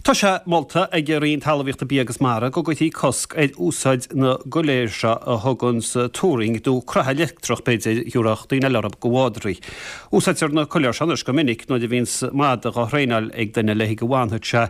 Tá sé molta ag an Roinn Talmhaíochta, Bia agus Mara go gcuirfí cosc ar úsáid na gcoiléar seo a thuganns turraing nó croitheadh leictreach b'fhéidir a thiúrfadh daoine eile orthu do mhadraí. Úsáidtear na coiléir seo anois go minic nuair a bhíonns madadh á thraenáil ag duine le go bhfanfadh sé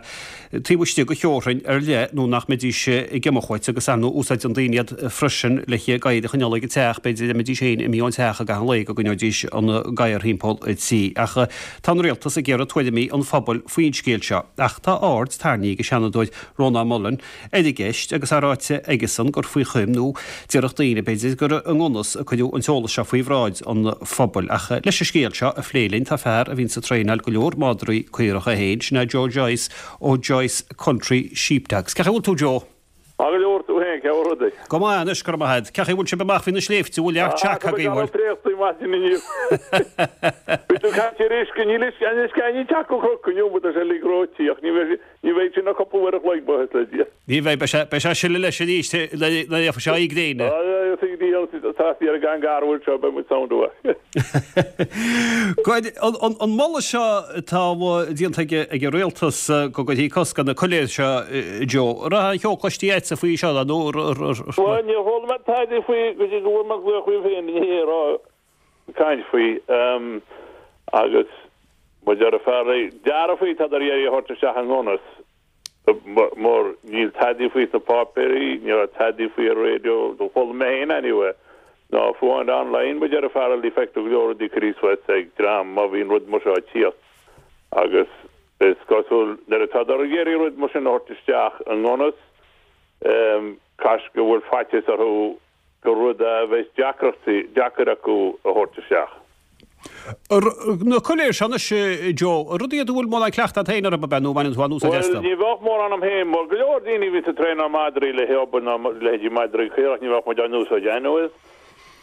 taobh istigh de theorainn ar leith nó nach mbeidís ag imeacht uait agus ar ndóigh úsáideann daoine iad freisin le gadhair a choinneáil ag an teach, b'fhéidir dá mbeidís féin imithe ón teach i gcaitheamh an lae go gcoinneoidís an gadhar thimpeall an tí. Ach Tá an Rialtas ag iarraidh tuairimí an phobail faoin scéal seo ach tá aird tarraingthe ag an Seanadóir Rónán Mullen ar an gceist agus é ráite aigesan gur faoi choim nó déarfadh daoine b'fhéidir gur i ngan fhios a cuireadh an t-eolas seo faoi bhráid an phobail. Ach leis an scéal seo a phlé linn tá fear a bhíonns ag traenáil go leor madraí caorach é féin, sin é Joe Joyce ó Joyce Country Sheepdogs. Cén chaoi a bhfuil tú Joe? Maith go leor, tú féin, cén chaoi a bhfuil rudaí? Go maith anois, go raibh maith agat. Cén chaoi a bhfuil sibh amach faoi na sléibhte, bhfuil neart seaca agaibh, bhfuil? Tá préachtaí maidin inniu. Bhí tú ag caint ar uisce, níl uisce, an uisce ní teach go cnoc inniu, but tá sé uilig reoite, ach ní bheidh, ní bheidh sin ach cúpla uair a chloig, buíochas le Dia. Ní bheidh, beidh sé, beidh sé ag sileadh leis arís nuair a gheobhaidh sé aghaidh gréine. Tá sí ar an gcan garbh seo, beidh muid sound uaidh. Go, an moladh seo atá déanta ag an Rialtas go gcuirfí cosc ar na coiléir seo, Joe, an raibh aon cheo cloiste agatsa faoi seo nó? Bhuel, níor chuala mé tada faoi go dtí go bhfuair mé glaoch uaibh féin inné ag rá caint faoi agus mar deir fear dearfa faoi tá ag iarraidh a thabhairt isteach i ngan fhios. Mar níl tadaí faoi sna páipéirí, ní raibh tadaí faoi ar raidió, do chuala mé féin anyway, ná fiú amháin online, mar deir fear eile, feictear go leor rudaí curtha suas ag dream má bhíonn rud mar seo ag tíocht agus is cosúil nuair atádar ag iarraidh rud mar sin a thabhairt isteach i ngan fhios, caithfidh go bhfuil faitíos orthu gur rud a bheas deacrachtaí, deacair acu a thabhairt isteach. Na coiléir seo anois, Joe, rudaí iad a bhfuil mórán cleachtadh agat féin orthu, ab ea, nó baineann tú an-úsáid astu? Bhuel, ní bheadh mórán a'm féin, mar go leor daoine a bhíonns ag traenáil madraí le hobair ná leithéidí madraí caorach, ní bheadh muid á n-úsáid anyways.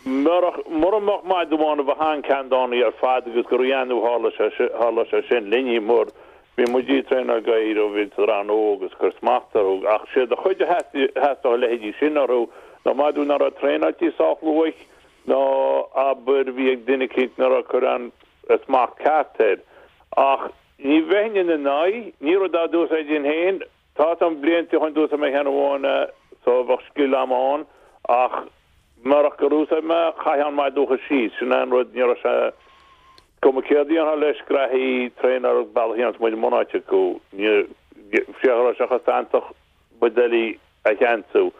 Murach, mura mbeadh madadh amháin a bheadh an-ceanndánaí ar fad agus gur annamh a tharla sé, tharla sé sin linne, mar Bhí muid ag traenáil gadhair ó bhíodar an-óg agus cur smacht orthu, ach séard a chuid a theastódh a leithéidí sin orthu ná madadh ná raibh traenáilte sách luath nó abair bhí ag duine eicínt ná raibh cur an smacht ceart air. Ach ní bheinn ina n-aghaidh, ní rud dá d'úsáidfinn féin, tá 'fhios a'm blianta ó shoin d'úsáid mé ceann amháin é so bheadh scil a'm ann ach murach gur úsáid mé chaithfeá an madadh a chur síos, sin é an rud, ní raibh sé. Cuma céard a dhéanfá leis graithí traenáil bealach a dhéanfas muid i mbunáite acu. Ní go raibh sé chomh santach ba doiligh a cheansú.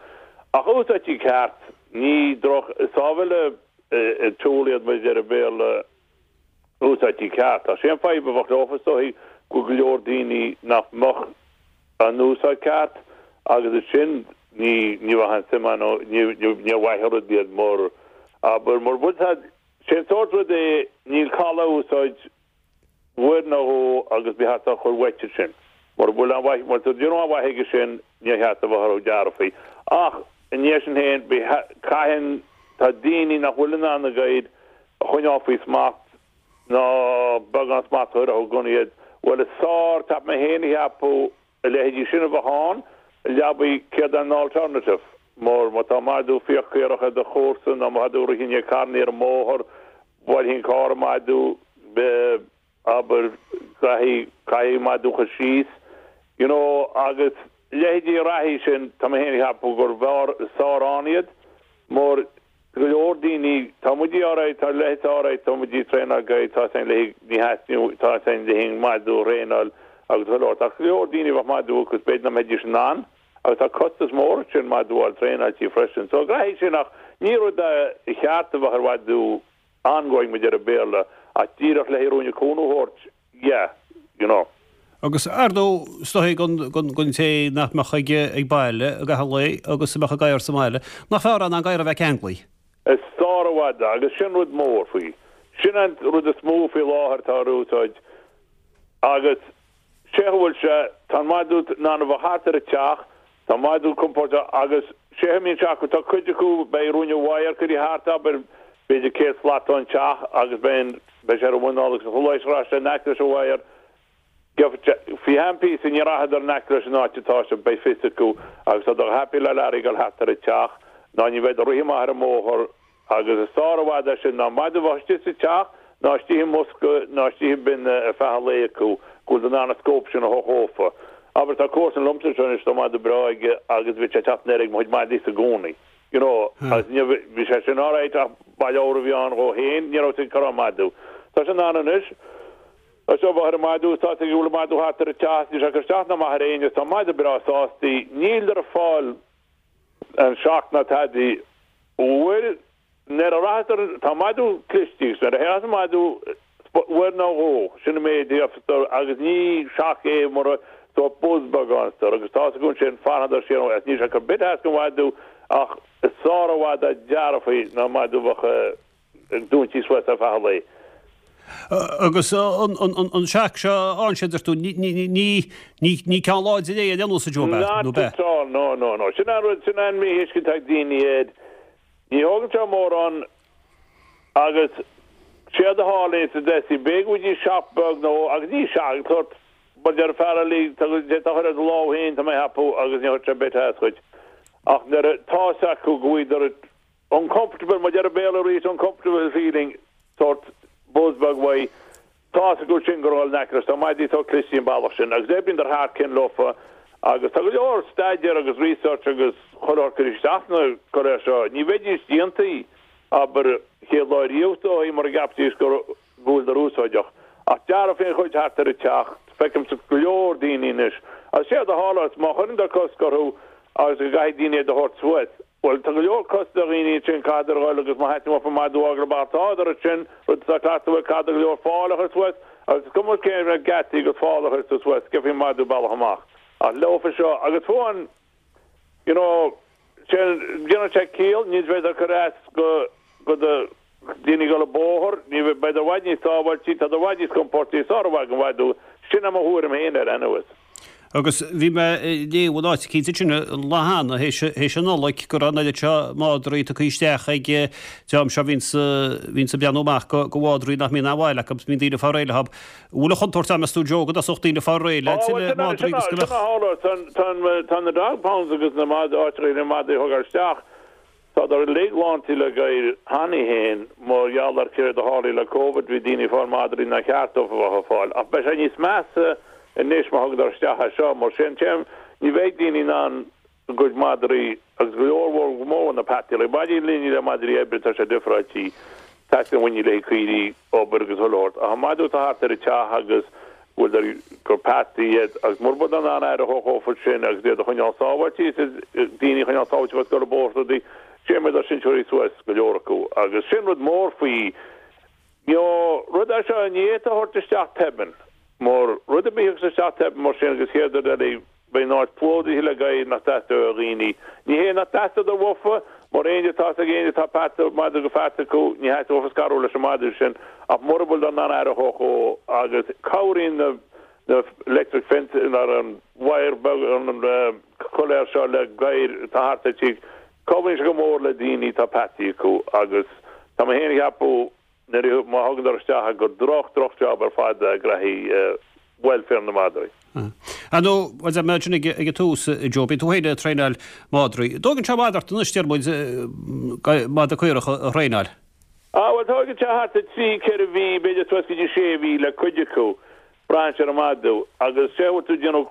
Ach úsáidtí ceart, ní droch, is sábháil tool iad mar a deir an Béarla, úsáidtí ceart. Ach sé an fadhb a bheadh leofa is dóigh go bhfuil go leor daoine nach mbeadh á n-úsáid ceart agus ansin ní ní bheadh aon suim ann ní ní mhaith an rud iad mar abair mura bhfuil Sé an sórt rud é, níl call á úsáid uair nó dhó agus ba cheart a chur uait ansin. Mura bhfuil aon mhaith, mura bhfuil aon mhaith aige sin, níor cheart a bheith orthu dearfaí. Ach, i ndiaidh sin féin, caitheann, tá daoine nach bhfuil in ann a gadhair a choinneáil faoi smacht ná beagán smacht a chur orthu i gcónaí iad. Bhuel, is sár, tá mé féin a cheapadh, A leithéidí sin a bheith ann, leabaidh céard é an alternative? Mar má tá madadh fiach caorach ar do chomharsa nó má tá tú ag rith i ndiaidh carrannaí ar an mbóthar, buailfidh an carr an madadh, abair, caithfidh, caithfidh an madadh a chur síos, you know, agus leithéidí reathaí sin, tá mé féin ag ceapadh gur bhfearr, is fearr ann iad, mar Go leor daoine, tá muid alright, tá leithéid alright, tá muid ag traenáil gadhair, tá sé le ní theastaíonn, tá sé le haghaidh madadh a thraenáil agus go leor. Tá go leor daoine a bheadh madadh acu, b'fhéidir nach mbeidís in ann agus tá costas mór ansin madadh a fháil traenáilte freisin. So graithí sin ach ní rud a cheart a bheadh ar mhadadh ongoing mar a deir an Béarla ach díreach le haghaidh ruainne cúnamh a thabhairt, yeah, you know. Agus ar ndóigh, is dóigh don té nach mbeadh ag baile i gcaitheamh an lae agus a mbeadh a gadhar sa mbaile, nach fearr é ná an gadhar a bheith ceanglaithe? Is fearr i bhfad é, agus sin rud mór faoi. Sin an rud is mó faoi láthair atá ar úsáid agus sé go bhfuil sé, tá an madadh in ann a bheith thart ar an teach, tá an madadh compordach agus sé a mbíonn sé acu, tá cuid acu, beidh ruainne wire curtha thart, abair, b'fhéidir 100 slat ón teach agus beidh an, beidh sé ar a mhuineál agus chuile áit a raibh sé in aice leis an wire, Faoi cheann píosa ní rachadar in aice leis an áit atá sé, beidh fios acu agus tá siad happy le Larry ag dul thart ar an teach ná ní bheidh ag rith amach ar an mbóthar agus is fearr i bhfad é sin ná madadh a bheith istigh sa teach ná istigh i mbosca ná istigh i bin ar feadh an lae acu go bhfuil in ann an scóip sin a thabhairt dhófa. Abair, tá comharsan liomsa anseo anois, tá madadh breá aige agus bhí sé ag teacht in air ag mo chuid madaí-sa i gcónaí. You know, agus ní, bhí sé sin alright ach ba leabhar a bhí ann dhó féin, ní raibh sé ag cur an madadh. Tá sé in ann anois, tá sé ag ar an madadh is tá sé ag gabháil an madadh thart ar an teach, níl sé ag cur isteach ná amach ar éinne, tá an madadh breá sástaí, níl ag fáil an shock ná tadaí. Bhuel, Nuair a rachadar, tá madadh cliste agus nuair a théas an madadh uair nó dhó, sin an méid a gheofar agus ní shock é mura sórt buzz beag ann is agus tá's acu ansin, fanfadar siar agus níl sé ag cur bit as don mhadadh ach is sár-mhadadh dearfaí ná madadh a bheadh ag dúintí suas ar feadh an lae. Agus an shock seo a fhaigheann siad, deir tú, ní ceann láidir é ar aon nós a Joe, Not at all, no, no, no. Sin an rud, sin an míthuiscint ag daoine air. Ní thógann sé mórán agus séard a tharlaíonn sa Dessie, b'fhéidir go bhfaighidís shock beag nó agus ní shock, sórt, mar deir fear eile, tá d'fhéadfá a chur ar do lámh féin, tá mé a cheapadh, agus ní chuirfeadh sé bit as dhuit. Ach nuair a tá's acu go bhfuileadar uncomfortable, mar deir an Béarla arís, uncomfortable feeling, sórt buzz beag uaidh, Tá's acu sin gur dhul in aice leis. Tá madaí sórt clistí an bealach sin agus oibríonn thar cionn leofa agus tá go leor staidéar agus research agus chuile shórt curtha isteach sna coiléir seo. Ní bheidís déantaí, abair, chéad lá riamh is dóigh mura gceapfaidís go bhfuileadar úsáideach. Ach dearfaí an chuid thart ar an teach, feicimse go leor daoine anois agus séard a tharlós má chuireann cosc orthu agus go gcaithfidh daoine iad a thabhairt suas, Bhuel, tá go leor costas do dhaoine ansin, caithfeadar a dhul agus má theastaíonn uafa madadh a fhágáil amach tádar ansin, rud atá cleachta bhuel, caithfeadar go leor fál a chur suas agus is cuma cén raibh geataí agus fál a chuir tú suas, gheofaí an madadh bealach amach. Ach leofa seo, agus fiú an, you know, sin, déanann sé ciall, ní bheidh cur as go, go do daoine ag dul an bóthar, ní bheidh, beidh i bhfad níos sábháiltí, tá i bhfad níos compórtaí, sármhaith don mhadadh, sin é mo thuairim féin air anyways. Agus bhí mé ag léamh in áit eicínt ansin an lá cheana, théis an Nollaig, go raibh an oiread seo madraí tugtha isteach ag an dream seo a bhíonns, bhíonns ag breathnú amach go, go mhadraí nach mbíonn aon bhail acu, bíonn daoine ag fáil réidh leo. An bhfuil an chontúirt ann, meas tú, Joe, go dtosódh daoine ag fáil réidh le tuilleadh madraí agus go mbeadh. Tá, tá na dog pounds agus na mad, áiteacha na madraí a thógáil isteach, Tádar uilig lántaí le gadhair cheana féin mar gheall ar céard a tharlaigh le Covid, bhí daoine ag fáil madraí nár cheart dóibh a bheith ag fáil. Ach beidh sé níos measa anois má thugadar isteach é seo. Mar sin téim, ní bheidh daoine in ann a gcuid madraí agus go leor mhór go mór na peataí. Like madraí líne le madraí oibre tá sé difreáilte. Teastaíonn uainn le haghaidh caoirigh, obair agus chuile shórt. Ach an madadh atá thart ar an teach agus go bhfuil gur peataí iad agus mura bhfuil in ann aire a thabhairt dhófa sin agus iad a choinneáil sábháilte is daoine a choinneáil sábháilte agus gur bóthar rudaí sé mé dá sinseoirí suas go leor acu agus sin rud mór faoi you know rud é seo ní fhéadfá a thabhairt isteach tobann mar rud ar bith agus isteach tobann mar sin agus chéad rud eile Beidh an áit plódaithe le gadhair nach dteastódh ó dhaoine. Ní hé nach dteastódh uafa, mar éinne atá ag éinne atá peata, madadh go pheata acu, ní theastódh uafa scarúint leis an madadh sin, ach mura bhfuil in ann aire a thabhairt dhó agus cabhraíonn na na electric fence nó an wire beag an coiléar seo le gadhair atá thart ar tigh, cabhraíonn sé go mór le daoine atá peataí acu agus tá mé féin a cheapadh Nuair a, má thugadar isteach é gur droch, droch job ar fad é do ghraithí welfare na madraí. Ar ndóigh, bhuel, deir mé ansin ag an tús, a Joe, bíonn tú féin ag traenáil madraí. An dtógann sé i bhfad ort anois, deir muid, madra caorach a thraenáil? Ah, bhuel, tógann sé thart ar trí, ceithre mhí, b'fhéidir suas go dtí sé mhí le cuid acu. Braitheann sé ar an madadh. Agus sé bhfuil tú ag déanamh,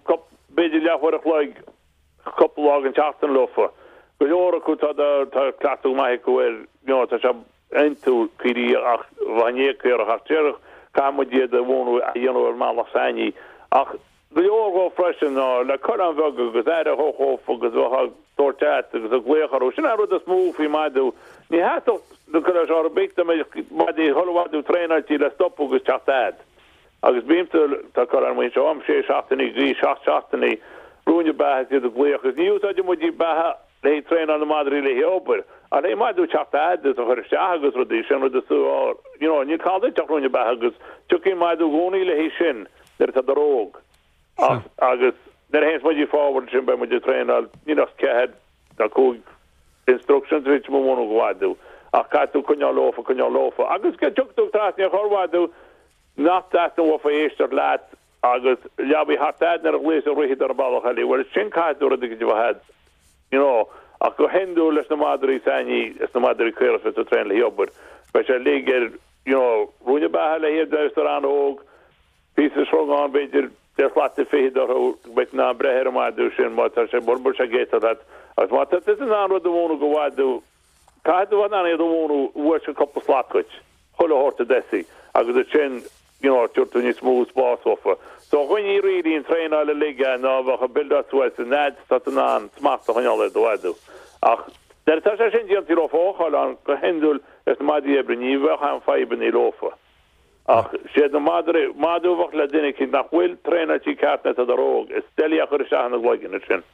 b'fhéidir leathuair a chloig cúpla lá den tseachtain leofa. Go leor acu tá tá cleachtadh go maith acu air, you know, tá sé iontu caoirigh ach bheith in éag caorach ach déarfadh caithfidh muid iad a mhúineadh a dhéanamh ar an mbealach s'againne. Ach go leor dhó freisin ná le coileáin bheaga agus aire a thabhairt dhófa agus bheith á dtabhairt agat agus ag glaoch orthu. Sin an rud is mó faoi mhadadh. Ní theastódh na coileáin seo ar bith dá mbeadh madaí chuile mhadadh traenáilte le stopadh agus teacht a'd. Agus bímse, tá coileáin amuigh anseo a'm, sé seachtainí go dtí seacht seachtainí, ruainne beatha is iad ag glaoch agus ní úsáideann muid iad beatha le haghaidh traenáil na madraí le haghaidh obair, ach le haghaidh madadh teacht a'd is a chur isteach agus rudaí, sin rud is you know, níl call duit ach ruainne beatha agus tiocfaidh an madadh i gcónaí le haghaidh sin nuair atá dar óg. Ach, agus nuair a théanns muid forward sin beidh muid ag traenáil, níl ach ceathair nó cúig instructions a bhí mo bhunú go mhadadh ach caithfidh tú coinneáil leofa, coinneáil leofa agus go dtiocfaidh tú trasna ar chorr-mhadadh nach dteastaíonn uafa éisteacht leat agus leabaidh thart a'd nuair a ghlaos a rithid ar an bealach eile, bhuel sin caithfidh tú rud éigin a bheith a'd, you know, ach go hiondúil leis na madraí s'againne is na madraí caorach is tú traenáil le haghaidh obair, beidh sé uilig ar, you know, ruainne beatha le hiad nuair is tar an-óg, píosa srungán b'fhéidir. Deich slat fichead orthu, go mbeidh tú in ann breith ar an mhadadh sin má tá sé, mura bhfuil sé ag éisteacht leat. Agus má tá tusa in ann rud a mhúineadh do mhadadh, caithfidh tú a bheith in ann iad a mhúineadh uair sin cúpla slat dhuit, chuile shórt a d'eisigh, agus ansin, you know, tabharfaidh tú níos mó spás dhófa. So dhuine really an traenáil uilig é ná bheadh ag build suas an fhad tá tú in ann smacht a choinneáil ar do mhadadh. Ach nuair atá sé sin déanta leofa ócáil ann go hiondúil leis na madaí oibre ní bheadh aon fadhbannaí leofa. Ach siad na madraí, madadh a bheadh le duine eicínt nach bhfuil traenáilte ceart nuair atádar óg, is doiligh a chur isteach ina gcloigeann ansin.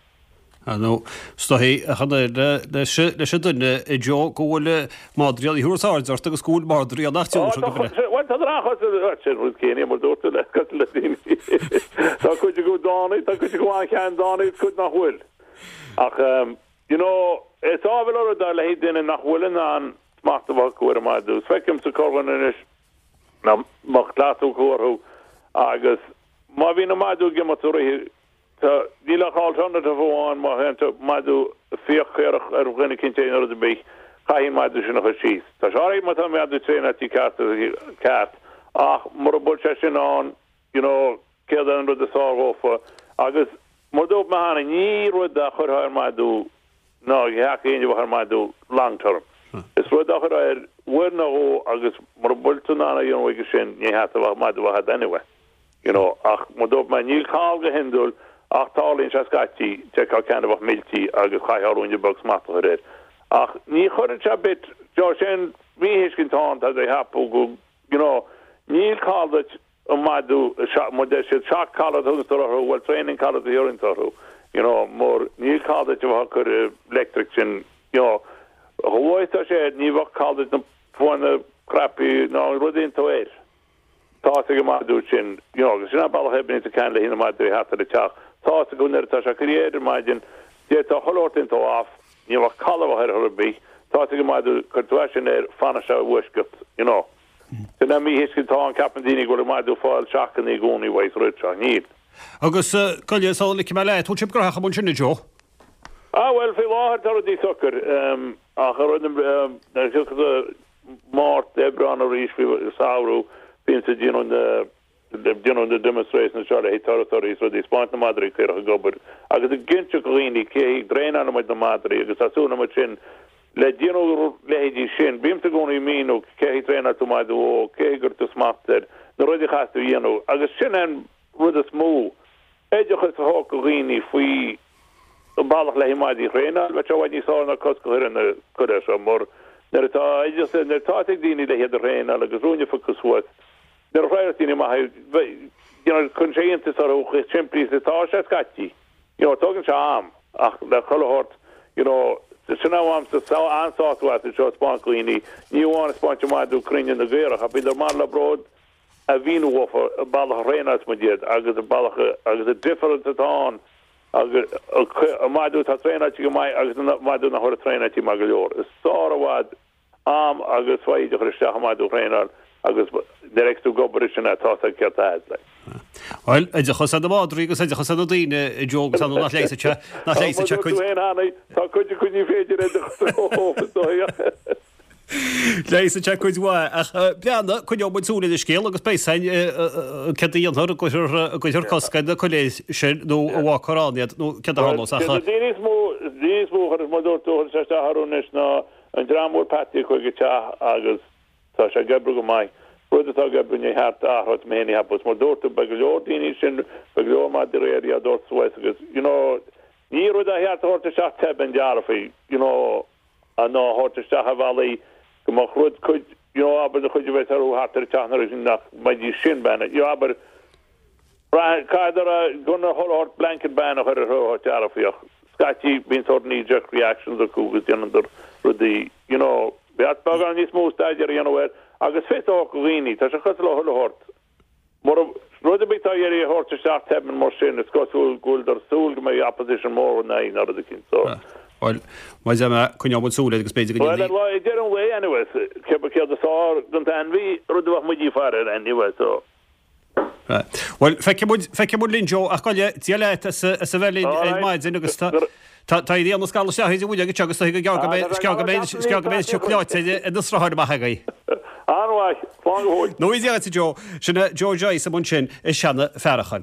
Ar ndóigh, is dóichí, a Chonaire, leis an duine, a Joe, go bhfuil madraí ann a thabharfas aird ort agus go bhfuil madraí ann nach dtiúrfadh go breá. Bhuel, tá an-chuid, bhuel, sin rud céanna, mar dúirt tú, le cosúil le daoine. Tá cuid acu dána, tá cuid acu an-cheanndána agus cuid nach bhfuil. Ach, you know, is ábhar rud é le haghaidh duine nach bhfuil in ann smacht a bheith acu ar an madadh. Is feicimse corrdhuine anois nach mbeadh cleachtadh acu orthu agus má bhíonn an madadh ag imeacht ag rith, tá, níl ach alternative amháin má théann tú madadh ag fiach caorach ar dhuine eicínt nó rud ar bith, caithfidh an madadh sin a chur síos. Tá sé alright má tá an madadh traenáilte ceart ceart ach mura bhfuil sé sin ann, you know, céard é an rud is fearr dhófa agus mar dúirt mé cheana, ní rud a chuirfeá ar madadh ná theacht éinne a bheadh ar madadh long term. Is rud a chuirfeá air uair nó dhó agus mura bhfuil tú in ann a dhéanamh chuige sin, ní theacht a bheadh madadh a bheith agat anyway. You know, ach mar dúirt mé, níl call go hiondúil ach tarlaíonn sé scaití, d'fheicfeá ceann a bheadh milltí agus chaithfeá ruainne beag smacht a chur air. Ach ní chuireann sé bit, sé an mhíthuiscint atá ann, tá sé ag ceapadh go, you know, níl call duit an madadh, mar deir siad, shock collar a thugann orthu, bhuel training collar a thiúrfainn orthu, you know, mar níl call duit a bheith ag cur electric sin, you know, chomh luath is atá sé air, ní bheadh call duit na fuaime crappy ná an rud iontú air. Tá's ag an madadh sin, you know, agus sin an bealach a oibríonn sa ceann le haghaidh na madraí thart ar an teach, tá's acu nuair atá sé curtha air ar maidin, d'fhéadfá chuile shórt iontú off, ní bheadh call a bheith air chor ar bith, tá's ag an madadh, cuir tú é sin air, fanfaidh sé i bhfoisceacht, you know. Sin an mhíthuiscint atá ann, ceapann daoine go bhfuil an madadh ag fáil seacanna i gcónaí uaidh sa rud seo. Níl. Agus gabh i leith sula ligfidh mé leat, bhfuil sibh gnóthach amuigh ansin a Joe? Ah bhuel, faoi láthair tá rudaí socair, ach ar an nuair a thiocfas Márta, Aibreán arís faoi samhradh, bímse ag déanamh na déanamh na demonstrations seo le haghaidh turasóirí is rudaí, spáint na madraí caorach ag obair agus ag inseacht do dhaoine cé hí dtraenálann muid na madraí agus tá súil muid sin le déanamh leithéidí sin. Bímse i gcónaí ag míniú cé hí traenáil tú madadh óg, cé hí gcuir tú smacht air, na rudaí a chaithfidh tú a dhéanamh agus sin an rud is mó, oideachas a thabhairt do dhaoine faoi an bealach le haghaidh madraí a thraenáil, bheadh sé i bhfad níos fearr ná cosc a chur ar na coiléir seo mar nuair atá oideachas, nuair atá ag daoine le hiad a thraenáil agus ruainne fágtha suas, Nuair a thraenálas daoine amach é, you know, cuireann sé iontas orthu chomh simplí is atá sé scaití. You know, tógann sé am ach le chuile shórt, you know, sin é bhainim an-sásamh as seo a 'spáint do dhaoine, ní amháin a 'spáint an madadh cruinne na gcaorach ach bíonn mar le bród a mhíniú dhófa an bealach a thraenálas muid iad agus an bealach agus an difference atá ann agus an madadh atá traenáilte go maith agus an madadh nach bhfuil traenáilte maith go leor. Is sár i bhfad am agus foighid a chur isteach i madadh a thraenáil agus nuair a fheicfeas tú ag obair ansin é, tá's agat céard tá agat, like. Bhuel, oideachas ar na madraí agus oideachas ar na daoine, a Joe, agus ar ndóigh nach leigheasfaidh sé, nach leigheasfaidh sé cuid. Mar dúirt tú féin cheana, tá cuid acu ní féidir oideachas a thabhairt is dóigh. Leigheasfaidh sé cuid mhaith, ach breathnaigh, coinneoidh muid súil ar an scéal agus beidh 'fhios againn céard a dhéanfar, an gcuirfear, an gcuirfear cosc ar na coiléir sin nó an bhfágfar ann iad nó céard a tharlós ach. Bhuel, na daoine is mó, daoine is mó a chuireas, mar dúirt tú, a chuireas isteach orthu anois ná An dream a bhfuil peataí acu ag an teach agus tá sé ag oibriú go maith. Rud atá ag oibriú ní cheart a athrú mé féin a cheapadh. Mar dúirt tú beidh go leor daoine sin, beidh go leor madraí ar á dtabhairt suas agus you know ní rud a cheart a thabhairt isteach tobann dearfaí you know ná a thabhairt isteach ar bhealaí go mbeadh rud cuid you know abair na cuid a bheas orthu thart ar an teach nuair nach mbeidís sin bean you know abair Caithfear gan chuile shórt blanket ban a chur ar shórt dearfaí ach scaití bíonn sórt knee jerk reactions acu agus déanann rudaí you know bheadh beagán níos mó staidéar a dhéanamh air agus fios a thabhairt do dhaoine tá sé cosúil le chuile shórt mura rud ar bith atá iarraidh a thabhairt isteach tobann mar sin is cosúil go bhfuil dar súil go mbeidh opposition mór in aghaidh nó rud eicínt so. Bhuel, mar a deir mé, coinneoidh muid súil air agus b'fhéidir go ndéanfaidh. Bhuel, ar deireadh an lae anyway, céard is fearr don t-ainmhí, rud a bheadh muid ag faire air anyway so. Bhuel, feicfidh muid, feicfidh muid linn, Joe, ach gabh i leith, Dia leat as a bheith linn ar maidin agus tá, tá, tá éirí an scamall isteach idir muid agus seo agus tá go gearr go mbeidh, is gearr go mbeidh, is gearr go mbeidh siocláid ar na srutháin amach agaibh. An-mhaith, slán go fóill. Nó Dia duit, a Joe. Sin é Joe Joyce amuigh ansin i Seanadh Fearacháin.